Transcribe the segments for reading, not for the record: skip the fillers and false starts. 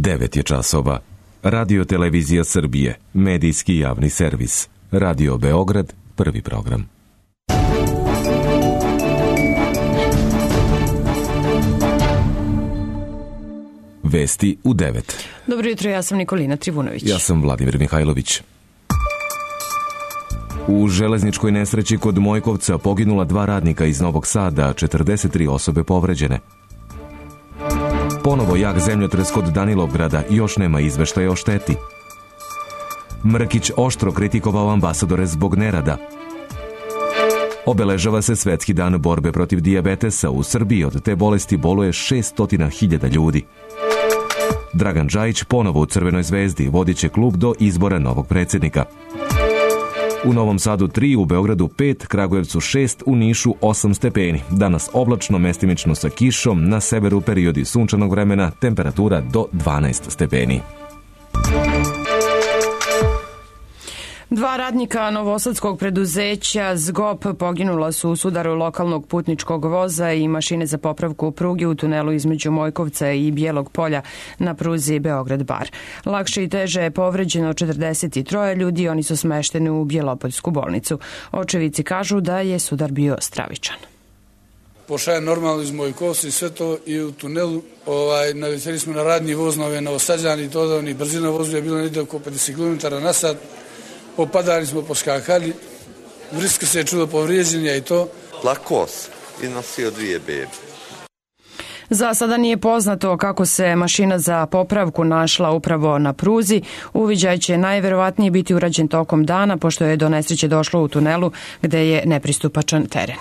9 je časova. Radio Televizija Srbije, medijski javni servis. Radio Beograd, prvi program. Vesti u 9. Dobro jutro, ja sam Nikolina Trivunović. Ja sam Vladimir Mihajlović. U železničkoj nesreći kod Mojkovca poginula 2 radnika iz Novog Sada, 43 osobe povređene. Ponovo jak zemljotres kod Danilovgrada, još nema izveštaja o šteti. Mrkić oštro kritikovao ambasadore zbog nerada. Obeležava se Svetski dan borbe protiv dijabetesa. U Srbiji od te bolesti boluje 600.000 ljudi. Dragan Džajić ponovo u Crvenoj zvezdi, vodit će klub do izbora novog predsjednika. U Novom Sadu 3, u Beogradu 5, Kragujevcu 6, u Nišu 8 stepeni. Danas oblačno, mestimično sa kišom, na severu periodi sunčanog vremena, temperatura do 12 stepeni. 2 radnika novosadskog preduzeća ZGOP poginula su u sudaru lokalnog putničkog voza i mašine za popravku pruge u tunelu između Mojkovca i Bijelog polja na pruzi Beograd-Bar. Lakše i teže je povređeno 43 ljudi, oni su smešteni u Bjelopoljsku bolnicu. Očevici kažu da je sudar bio stravičan. Pošao je normalno iz Mojkovca i sve to i u tunelu. Naleteli smo na radni voz na ove Novosađani i to da oni brzina vozu je bilo negdje oko 50 km na sat. Popadali smo, poskakali, vriska se je čudo povrijeđenja i to. Lakos i nosio 2 bebe. Za sada nije poznato kako se mašina za popravku našla upravo na pruzi. Uviđaj će najverovatnije biti urađen tokom dana, pošto je do nesreće došlo u tunelu gde je nepristupačan teren.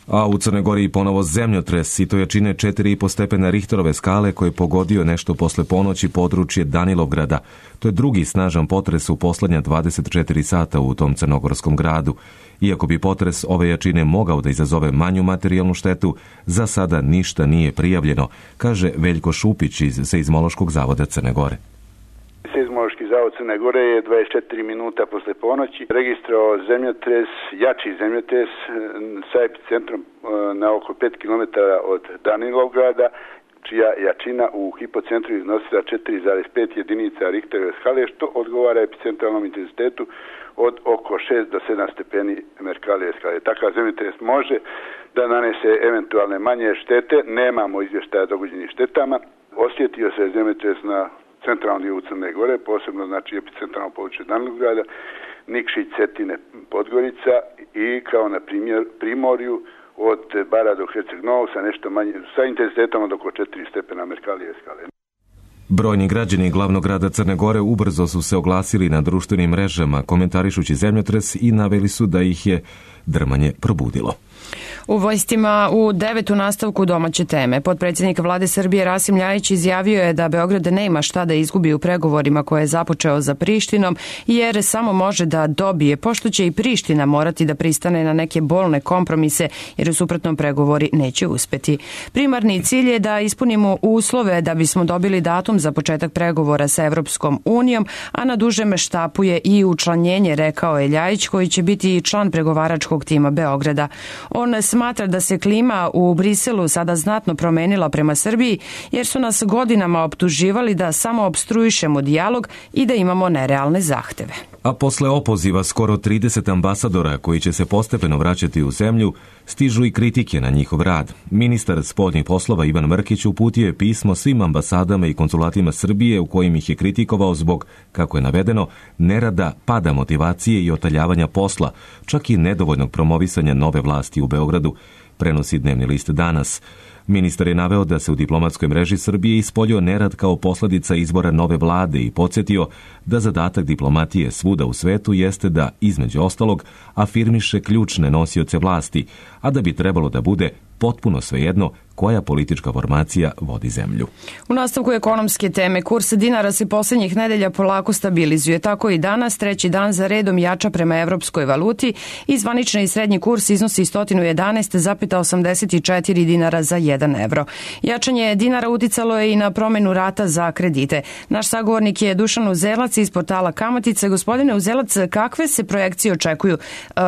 A u Crnoj Gori ponovo zemljotres i to jačine 4,5 stepena Richterove skale koji je pogodio nešto posle ponoći područje Danilovgrada. To je drugi snažan potres u poslednja 24 sata u tom crnogorskom gradu. Iako bi potres ove jačine mogao da izazove manju materijalnu štetu, za sada ništa nije prijavljeno, kaže Veljko Šupić iz Seizmološkog zavoda Crne Gore. Seizmološki zavod Crne Gore je 24 minuta posle ponoći registrao zemljotres, jači zemljotres sa epicentrom na oko 5 km od Danilovgrada, čija jačina u hipocentru iznosila 4,5 jedinica Richterove skale, što odgovara epicentralnom intenzitetu od oko 6 do 7 stepeni Mercalijeve skale. Takav zemljotres može da nanese eventualne manje štete, nemamo izvještaja o dogođenim štetama. Osjetio se zemljotres na centralnom dijelu Crne Gore, posebno znači epicentralno područje Danilovgrada, Nikšić, Cetine, Podgorica i kao na primjer Primorju od Bara do Herceg Novog sa nešto manje, sa intenzitetom od oko 4 stepena Mercalijeve skale. Brojni građani glavnog grada Crne Gore ubrzo su se oglasili na društvenim mrežama, komentarišući zemljotres i naveli su da ih je drmanje probudilo. U Vojstima u 9. nastavku domaće teme. Potpredsjednik Vlade Srbije Rasim Ljajić izjavio je da Beograd nema šta da izgubi u pregovorima koje je započeo za Prištinom, jer samo može da dobije, pošto će i Priština morati da pristane na neke bolne kompromise, jer u suprotnom pregovori neće uspeti. Primarni cilj je da ispunimo uslove da bismo dobili datum za početak pregovora sa Evropskom unijom, a na dužem štapu je i učlanjenje, rekao je Ljajić, koji će biti i član pregovaračkog tima Beograda. On smatra da se klima u Briselu sada znatno promenila prema Srbiji, jer su nas godinama optuživali da samo opstruišemo dijalog i da imamo nerealne zahteve. A posle opoziva skoro 30 ambasadora koji će se postepeno vraćati u zemlju, stižu i kritike na njihov rad. Ministar spoljnih poslova Ivan Mrkić uputio je pismo svim ambasadama i konzulatima Srbije u kojim ih je kritikovao zbog, kako je navedeno, nerada, pada motivacije i otaljavanja posla, čak i nedovoljnog promovisanja nove vlasti u Beogradu, prenosi dnevni list Danas. Ministar je naveo da se u diplomatskoj mreži Srbije ispoljio nerad kao posledica izbora nove vlade i podsjetio da zadatak diplomatije svuda u svetu jeste da, između ostalog, afirmiše ključne nosioce vlasti, a da bi trebalo da bude potpuno svejedno koja politička formacija vodi zemlju. U nastavku ekonomske teme, kurs dinara se posljednjih nedelja polako stabilizuje. Tako i danas, 3. dan za redom jača prema evropskoj valuti i zvanični i srednji kurs iznosi 111,84 dinara za 1 evro. Jačanje dinara uticalo je i na promenu rata za kredite. Naš sagovornik je Dušan Uzelac iz portala Kamatice. Gospodine Uzelac, kakve se projekcije očekuju?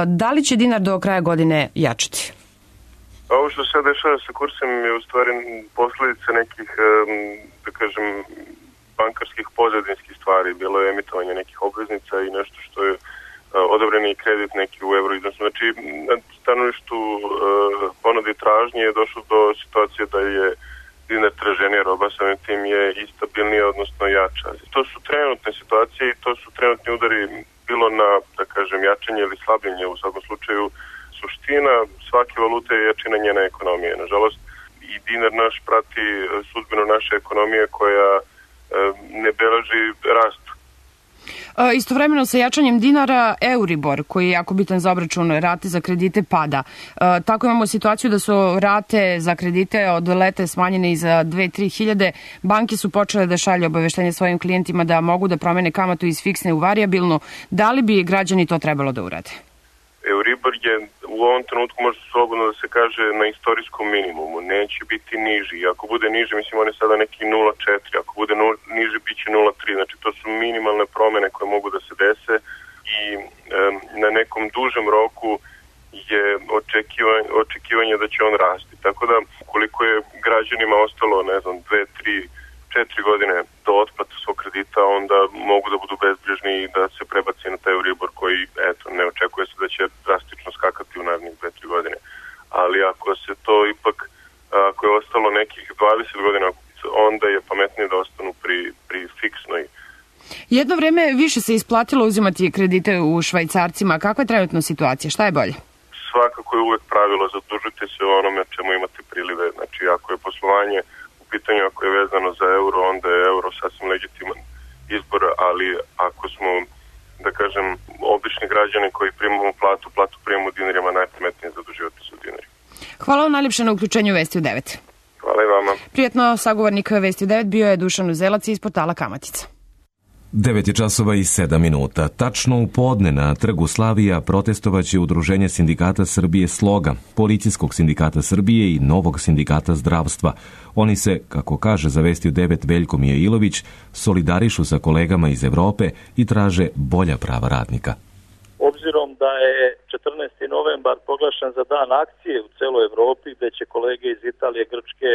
Da li će dinar do kraja godine jačati? Ovo što se dešava sa kursom je u stvari posljedica nekih, da kažem, bankarskih pozadinskih stvari, bilo je emitovanje nekih obveznica i nešto što je odobreni kredit neki u euro iznosu. Znači, na stanovištu ponude i tražnje je došlo do situacije da je dinar traženija roba, samim tim je i stabilnija, odnosno jača. To su trenutne situacije i to su trenutni udari bilo na, da kažem, jačanje ili slabljenje. U svakom slučaju, suština svake valute je jačina njene ekonomije. Nažalost, i dinar naš prati sudbinu naše ekonomije koja ne beleži rast. Istovremeno sa jačanjem dinara, Euribor, koji je jako bitan za obračun rate za kredite, pada. Tako imamo situaciju da su rate za kredite od leta smanjene i za 2-3 hiljade. Banke su počele da šalju obaveštenje svojim klijentima da mogu da promene kamatu iz fiksne u varijabilnu. Da li bi građani to trebalo da urade? Euribor je u ovom trenutku, može slobodno da se kaže, na istorijskom minimumu. Neće biti niži. Ako bude niži, mislim, on je sada neki 0,4. Ako bude niži, bit će 0,3. Znači, to su minimalne promene koje mogu da se dese i na nekom dužem roku je očekivanje da će on rasti. Tako da, koliko je građanima ostalo, ne znam, 2, 3, 4 godine do otplata svog kredita, onda mogu da budu bezbrižni i da se prebaci na taj Euribor koji, eto, ne očekuje se da će drastično skakati u narednih 2-3 godine. Ali ako se to ipak, ako je ostalo nekih 20 godina, onda je pametnije da ostanu pri fiksnoj. Jedno vreme više se isplatilo uzimati kredite u švajcarcima. Kakva je trenutno situacija? Šta je bolje? Svakako je uvek pravilo, zadužite se o onome čemu imate prilive. Znači, ako je poslovanje pitanju, ako je vezano za euro, onda je euro sasvim legitiman izbor, ali ako smo, da kažem, obični građani koji primamo platu primamo u dinarima, najpametnije zaduživati se u dinari. Hvala vam najljepše na uključenju Vesti u 9. Hvala i vama. Prijetno, sagovornik Vesti u 9 bio je Dušan Uzelac iz portala Kamatica. 9:07. Tačno u podne na Trgu Slavija protestovaće Udruženje sindikata Srbije Sloga, Policijskog sindikata Srbije i Novog sindikata zdravstva. Oni se, kako kaže za Vesti u 9 Veljko Mijailović, solidarišu sa kolegama iz Evrope i traže bolja prava radnika. Obzirom da je 14. novembar proglašen za dan akcije u celoj Evropi, gde će kolege iz Italije, Grčke,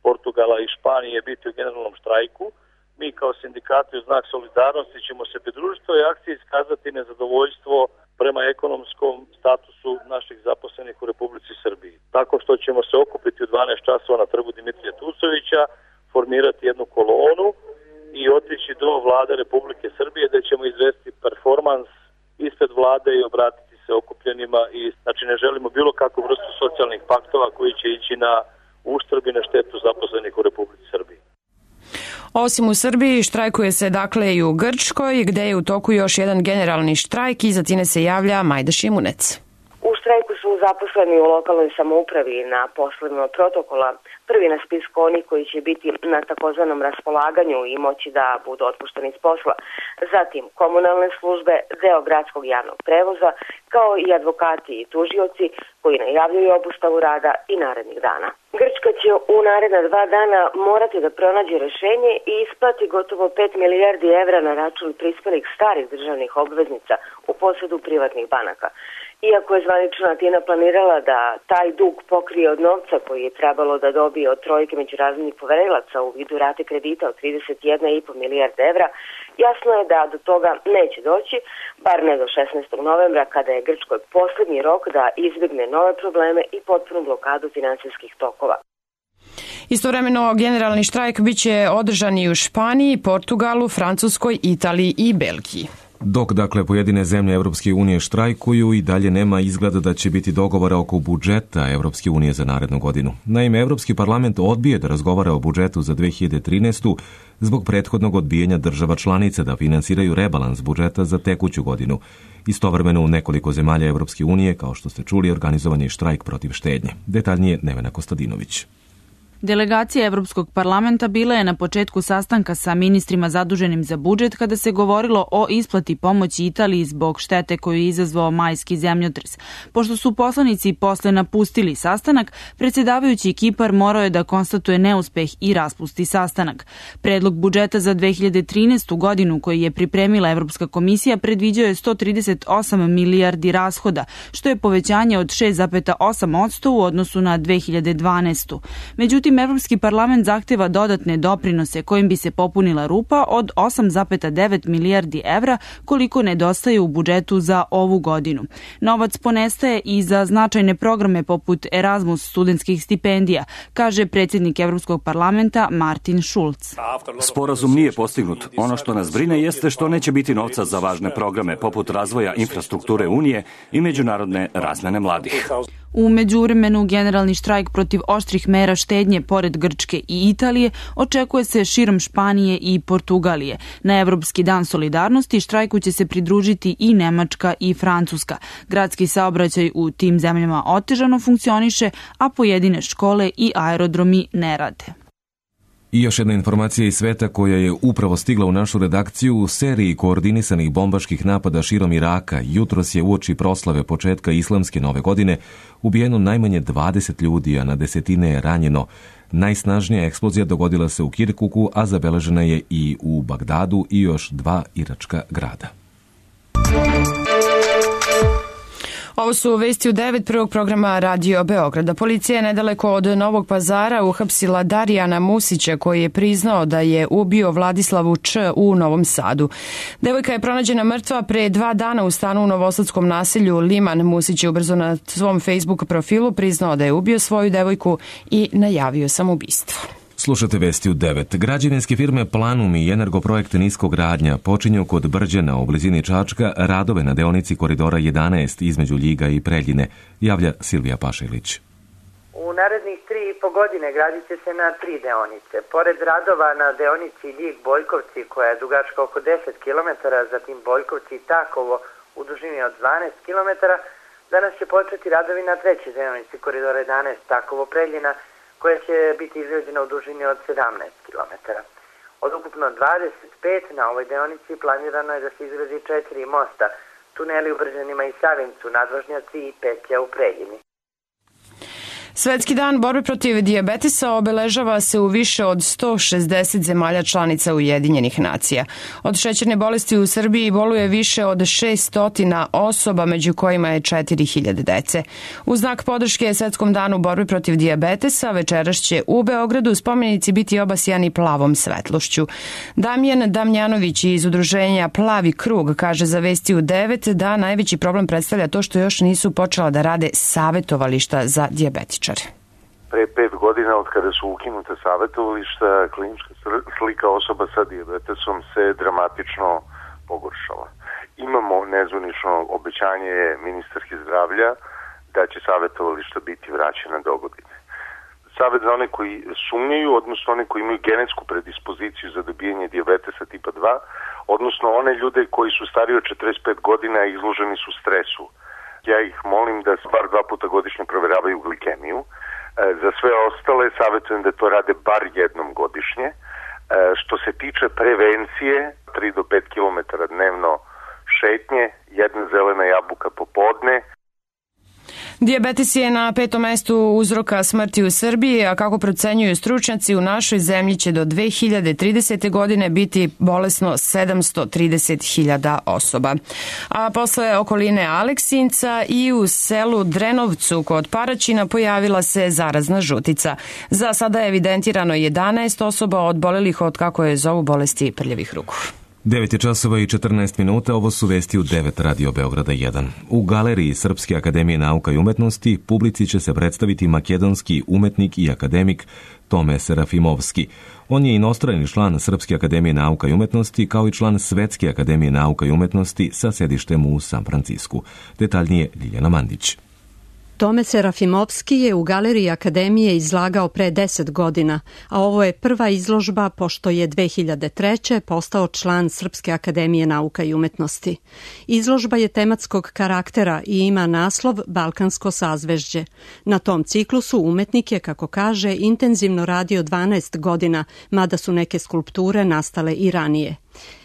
Portugala i Španije biti u generalnom štrajku, mi kao sindikati u znak solidarnosti ćemo se pridružiti toj akciji i iskazati nezadovoljstvo prema ekonomskom statusu naših zaposlenih u Republici Srbiji. Tako što ćemo se okupiti u 12 časova na trgu Dimitrija Tucovića, formirati jednu kolonu i otići do vlade Republike Srbije gde ćemo izvesti performans ispred vlade i obratiti se okupljenima. I znači ne želimo bilo kakvu vrstu socijalnih paktova koji će ići na uštrb i na štetu zaposlenih u Republici Srbiji. Osim u Srbiji, štrajkuje se dakle i u Grčkoj, gde je u toku još jedan generalni štrajk i za time se javlja Majda Šimunec. U štrajku su zaposleni u lokalnoj samoupravi na poslovima protokola. Prvi na spisku oni koji će biti na takozvanom raspolaganju i moći da budu otpušteni iz posla. Zatim komunalne službe, deo gradskog javnog prevoza, kao i advokati i tužioci koji najavljuju obustavu rada i narednih dana. Grčka će u naredna 2 dana morati da pronađe rešenje i isplati gotovo 5 milijardi evra na račun prispelih starih državnih obveznica u posedu privatnih banaka. Iako je zvanična Atina planirala da taj dug pokrije od novca koji je trebalo da dobije od trojke međunarodnih poverilaca u vidu rate kredita od 31,5 milijarde evra, jasno je da do toga neće doći, bar ne do 16. novembra kada je Grčkoj poslednji rok da izbjegne nove probleme i potpunu blokadu finansijskih tokova. Istovremeno, generalni štrajk biće održan i u Španiji, Portugalu, Francuskoj, Italiji i Belgiji. Dok, dakle, pojedine zemlje Evropske unije štrajkuju i dalje nema izgleda da će biti dogovora oko budžeta Evropske unije za narednu godinu. Naime, Evropski parlament odbije da razgovara o budžetu za 2013. zbog prethodnog odbijanja država članica da finansiraju rebalans budžeta za tekuću godinu. Istovremeno u nekoliko zemalja Evropske unije, kao što ste čuli, organizovan je štrajk protiv štednje. Detaljnije Nevena Kostadinović. Delegacija Evropskog parlamenta bila je na početku sastanka sa ministrima zaduženim za budžet kada se govorilo o isplati pomoći Italiji zbog štete koju je izazvao majski zemljotres. Pošto su poslanici posle napustili sastanak, predsjedavajući Kipar morao je da konstatuje neuspeh i raspusti sastanak. Predlog budžeta za 2013. godinu koji je pripremila Evropska komisija predviđao je 138 milijardi rashoda, što je povećanje od 6,8% u odnosu na 2012. Međutim, Međutim, Evropski parlament zahteva dodatne doprinose kojim bi se popunila rupa od 8,9 milijardi evra koliko nedostaje u budžetu za ovu godinu. Novac ponestaje i za značajne programe poput Erasmus studentskih stipendija, kaže predsjednik Evropskog parlamenta Martin Schulz. Sporazum nije postignut. Ono što nas brine jeste što neće biti novca za važne programe poput razvoja infrastrukture Unije i međunarodne razmene mladih. U međuvremenu, generalni štrajk protiv oštrih mera štednje pored Grčke i Italije očekuje se širom Španije i Portugalije. Na Evropski dan solidarnosti štrajku će se pridružiti i Nemačka i Francuska. Gradski saobraćaj u tim zemljama otežano funkcioniše, a pojedine škole i aerodromi ne rade. I još jedna informacija iz sveta koja je upravo stigla u našu redakciju. U seriji koordinisanih bombaških napada širom Iraka jutros je uoči proslave početka islamske nove godine ubijeno najmanje 20 ljudi, a na desetine je ranjeno. Najsnažnija eksplozija dogodila se u Kirkuku, a zabeležena je i u Bagdadu i još 2 iračka grada. Ovo su vesti u 9 prvog programa Radio Beograda. Policija je nedaleko od Novog Pazara uhapsila Darijana Musića koji je priznao da je ubio Vladislavu Č. u Novom Sadu. Devojka je pronađena mrtva pre 2 dana u stanu u novosadskom naselju Liman. Musić je ubrzo na svom Facebook profilu priznao da je ubio svoju devojku i najavio samoubistvo. Slušate vesti u 9. Građevinske firme Planum i Energoprojekt Niskogradnja počinju kod Brđana u blizini Čačka radove na deonici koridora 11 između Ljiga i Preljine, javlja Silvija Pašilić. U narednih 3,5 godine gradit će se na 3 deonice. Pored radova na deonici Ljig-Bojkovci koja je dugačka oko 10 km, zatim Bojkovci i Takovo u dužini od 12 km, danas će početi radovi na 3. deonici koridora 11 Takovo-Preljina koja će biti izgrađena u dužini od 17 km. Od ukupno 25 na ovoj deonici planirano je da se izgradi 4 mosta, tuneli u Brđanima i Savincu, nadvožnjaci i petlja u Preljini. Svetski dan borbe protiv dijabetesa obeležava se u više od 160 zemalja članica Ujedinjenih nacija. Od šećerne bolesti u Srbiji boluje više od 600 osoba, među kojima je 4000 dece. U znak podrške Svetskom danu borbe protiv dijabetesa večeras će u Beogradu spomenici biti obasjani plavom svetlošću. Damjan Damjanović iz udruženja Plavi krug kaže za vesti u 9 da najveći problem predstavlja to što još nisu počela da rade savetovališta za dijabetičare. Pre 5 godina od kada su ukinute savetovališta, klinička slika osoba sa dijabetesom se dramatično pogoršala. Imamo nezvanično obećanje ministarke zdravlja da će savetovališta biti vraćena do godine. Savet za one koji sumnjaju, odnosno one koji imaju genetsku predispoziciju za dobijanje dijabetesa tipa 2, odnosno one ljude koji su stariji od 45 godina i izloženi su stresu. Ja ih molim da bar 2 puta godišnje proveravaju glikemiju. Za sve ostale savjetujem da to rade bar jednom godišnje. Što se tiče prevencije, 3 do 5 km dnevno šetnje, 1 zelena jabuka popodne. Dijabetes je na 5. mestu uzroka smrti u Srbiji, a kako procenjuju stručnjaci, u našoj zemlji će do 2030. godine biti bolesno 730.000 osoba. A posle okoline Aleksinca i u selu Drenovcu kod Paraćina pojavila se zarazna žutica. Za sada je evidentirano 11 osoba odbolelih od, kako je zovu, bolesti prljavih ruku. 9 časova i 14 minuta, ovo su vesti u 9 Radio Beograda 1. U galeriji Srpske akademije nauka i umetnosti publici će se predstaviti makedonski umetnik i akademik Tome Serafimovski. On je inostrani član Srpske akademije nauka i umetnosti kao i član Svetske akademije nauka i umetnosti sa sedištem u San Francisku. Detaljnije Ljiljana Mandić. Tome Serafimovski je u galeriji Akademije izlagao pre 10 godina, a ovo je prva izložba pošto je 2003. postao član Srpske akademije nauka i umetnosti. Izložba je tematskog karaktera i ima naslov Balkansko sazvežđe. Na tom ciklusu umetnik je, kako kaže, intenzivno radio 12 godina, mada su neke skulpture nastale i ranije.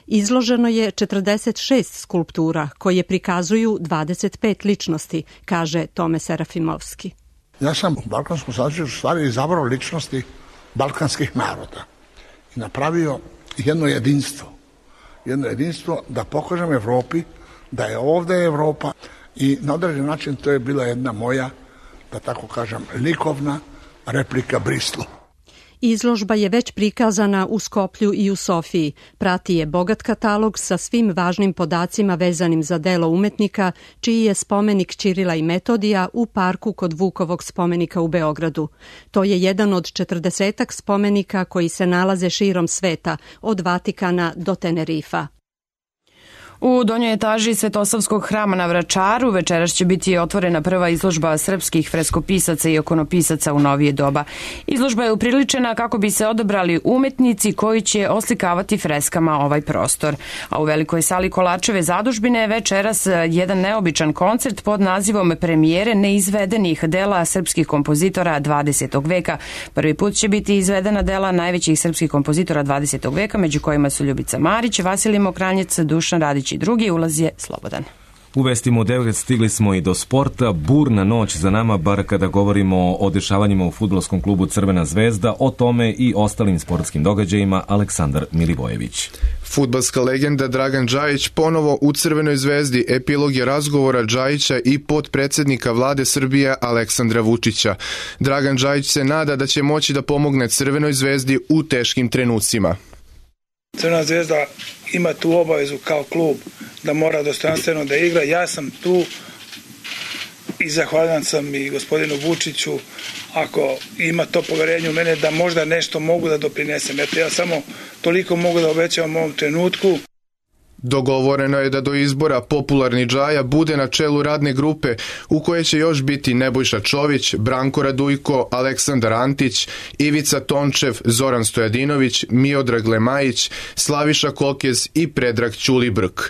Izloženo je 46 skulptura koje prikazuju 25 ličnosti, kaže Tome Serafimovski. Ja sam u balkanskom sazvežđu stvari izabrao ličnosti balkanskih naroda i napravio jedno jedinstvo da pokažem Evropi da je ovdje Evropa i na određen način to je bila jedna moja, da tako kažem, likovna replika Bristlu. Izložba je već prikazana u Skoplju i u Sofiji. Prati je bogat katalog sa svim važnim podacima vezanim za delo umetnika, čiji je spomenik Ćirila i Metodija u parku kod Vukovog spomenika u Beogradu. To je jedan od 40 spomenika koji se nalaze širom sveta, od Vatikana do Tenerifa. U donjoj etaži Svetosavskog hrama na Vračaru večeras će biti otvorena prva izložba srpskih freskopisaca i ikonopisaca u novije doba. Izložba je upriličena kako bi se odabrali umetnici koji će oslikavati freskama ovaj prostor. A u velikoj sali Kolačeve zadužbine večeras jedan neobičan koncert pod nazivom Premijere neizvedenih dela srpskih kompozitora 20. veka. Prvi put će biti izvedena dela najvećih srpskih kompozitora 20. veka, među kojima su Ljubica Marić, Vasilij Mokranjec, Dušan Radić i drugi. Ulaz je slobodan. U vestima u 9 stigli smo i do sporta. Burna noć za nama, bar kada govorimo o dešavanjima u fudbalskom klubu Crvena zvezda, o tome i ostalim sportskim događajima Aleksandar Milivojević. Fudbalska legenda Dragan Džajić ponovo u Crvenoj zvezdi. Epilog je razgovora Džajića i potpredsednika vlade Srbije Aleksandra Vučića. Dragan Džajić se nada da će moći da pomogne Crvenoj zvezdi u teškim trenucima. Crvena zvezda ima tu obavezu kao klub da mora dostojanstveno da igra. Ja sam tu i zahvaljan sam i gospodinu Vučiću ako ima to poverenje u mene da možda nešto mogu da doprinesem. Eto, ja samo toliko mogu da obećavam u ovom trenutku. Dogovoreno je da do izbora popularni Džaja bude na čelu radne grupe u kojoj će još biti Nebojša Čović, Branko Radujko, Aleksandar Antić, Ivica Tončev, Zoran Stojadinović, Miodrag Lemajić, Slaviša Kokez i Predrag Ćulibrk.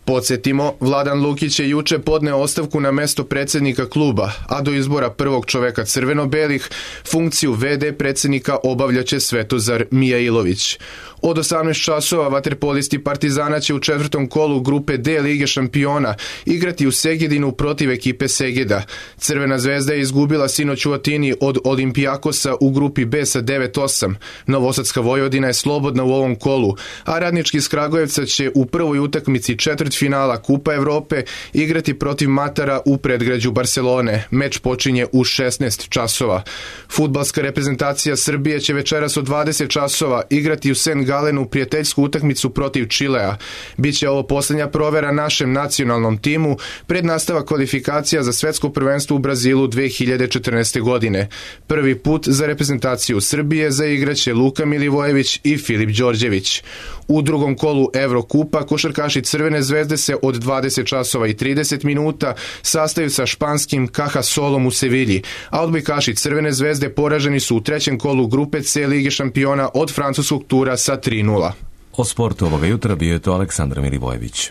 Podsjetimo, Vladan Lukić je juče podneo ostavku na mesto predsednika kluba, a do izbora prvog čoveka crveno-belih funkciju VD predsednika obavljaće Svetozar Mijailović. Od 18 časova vaterpolisti Partizana će u četvrtom kolu grupe D Lige šampiona igrati u Segedinu protiv ekipe Segeda. Crvena zvezda je izgubila sinoć u Atini od Olimpijakosa u grupi B sa 9-8. Novosadska Vojvodina je slobodna u ovom kolu, a Radnički iz Kragujevca će u prvoj utakmici četvrtfinala Kupa Evrope igrati protiv Matara u predgrađu Barcelone. Meč počinje u 16 časova. Fudbalska reprezentacija Srbije će večeras od 20 časova igrati u St. Galenu prijateljsku utakmicu protiv Čilea. Biće ovo posljednja provera našem nacionalnom timu pred nastavak kvalifikacija za svetsko prvenstvo u Brazilu 2014. godine. Prvi put za reprezentaciju Srbije zaigraće Luka Milivojević i Filip Đorđević. U drugom kolu Evrokupa košarkaši Crvene zvezde se od 20 časova i 30 minuta sastaju sa španskim Cajasolom u Sevilji, a odbojkaši Crvene zvezde poraženi su u trećem kolu grupe C Lige šampiona od francuskog tura sa 3-0. O sportu ovoga jutra bio je to Aleksandar Milivojević.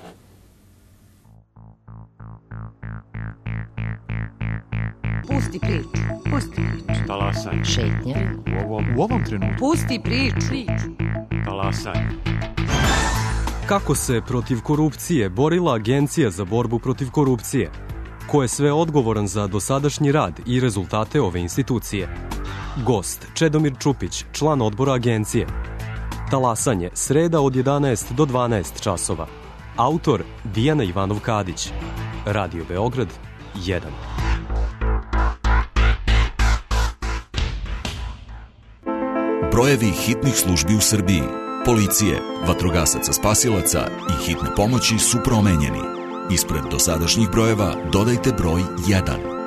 Pusti priču. Pusti priču. Talasaj. Šetnja. U ovom trenutku. Pusti priču. Talasaj. Kako se protiv korupcije borila Agencija za borbu protiv korupcije? Ko je sve odgovoran za dosadašnji rad i rezultate ove institucije? Gost Čedomir Čupić, član odbora agencije. Talasanje, sreda od 11 do 12 časova. Autor Dijana Ivanov-Kadić. Radio Beograd 1. Brojevi hitnih službi u Srbiji, policije, vatrogasaca spasilaca i hitne pomoći su promenjeni. Ispred dosadašnjih brojeva dodajte broj 1.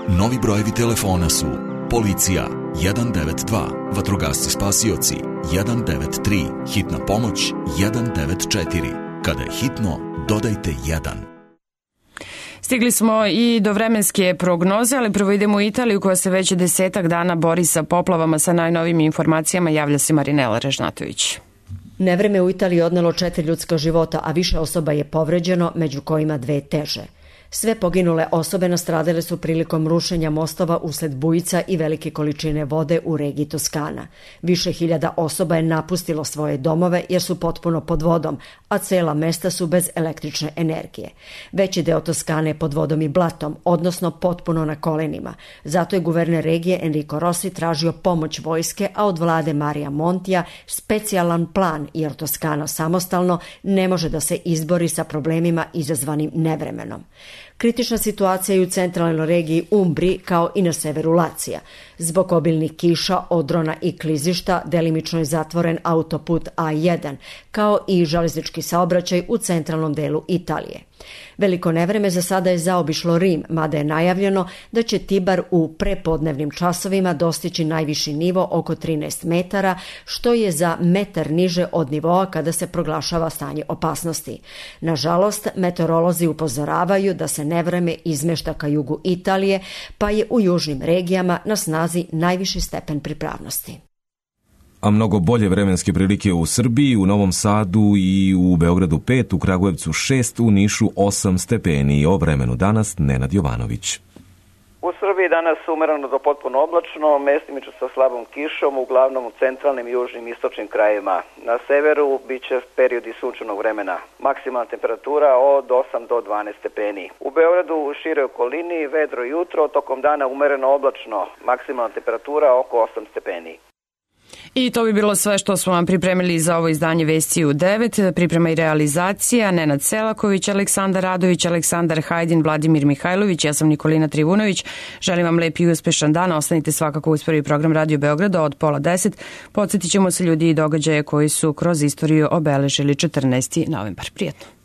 Novi brojevi telefona su policija 192, vatrogasci spasioci 193, hitna pomoć 194. Kada je hitno, dodajte 1. Stigli smo i do vremenske prognoze, ali prvo idemo u Italiju koja se već 10 dana bori sa poplavama. Sa najnovim informacijama javlja se Marinela Režnatović. Nevreme u Italiji odnelo 4 ljudska života, a više osoba je povređeno, među kojima 2 teže. Sve poginule osobe nastradale su prilikom rušenja mostova usled bujica i velike količine vode u regiji Toskana. Više hiljada osoba je napustilo svoje domove jer su potpuno pod vodom, a cela mesta su bez električne energije. Veći deo Toskane je pod vodom i blatom, odnosno potpuno na kolenima. Zato je guverner regije Enrico Rossi tražio pomoć vojske, a od vlade Marija Montija specijalan plan, jer Toskana samostalno ne može da se izbori sa problemima izazvanim nevremenom. Kritična situacija je u centralnoj regiji Umbri kao i na severu Lacija. Zbog obilnih kiša, odrona i klizišta delimično je zatvoren autoput A1, kao i železnički saobraćaj u centralnom delu Italije. Veliko nevreme za sada je zaobišlo Rim, mada je najavljeno da će Tibar u prepodnevnim časovima dostići najviši nivo oko 13 metara, što je za metar niže od nivoa kada se proglašava stanje opasnosti. Nažalost, meteorolozi upozoravaju da se nevreme izmešta ka jugu Italije, pa je u južnim regijama na snazi najviši stepen pripravnosti. A mnogo bolje vremenske prilike u Srbiji, u Novom Sadu i u Beogradu 5, u Kragujevcu 6, u Nišu 8 stepeni. O vremenu danas Nenad Jovanović. U Srbiji danas umereno do potpuno oblačno, mestimično sa slabom kišom, uglavnom u centralnim, južnim i istočnim krajevima. Na severu biće periodi sunčanog vremena. Maksimalna temperatura od 8 do 12 stepeni. U Beogradu u široj okolini vedro jutro, tokom dana umereno oblačno. Maksimalna temperatura oko 8 stepeni. I to bi bilo sve što smo vam pripremili za ovo izdanje Vesti u 9. Priprema i realizacija Nenad Selaković, Aleksandar Radović, Aleksandar Hajdin, Vladimir Mihajlović, ja sam Nikolina Trivunović. Želim vam lep i uspešan dan. Ostanite svakako uz prvi program Radio Beograda od 9:30. Podsjetit ćemo se ljudi i događaje koji su kroz istoriju obeležili 14. novembar. Prijetno.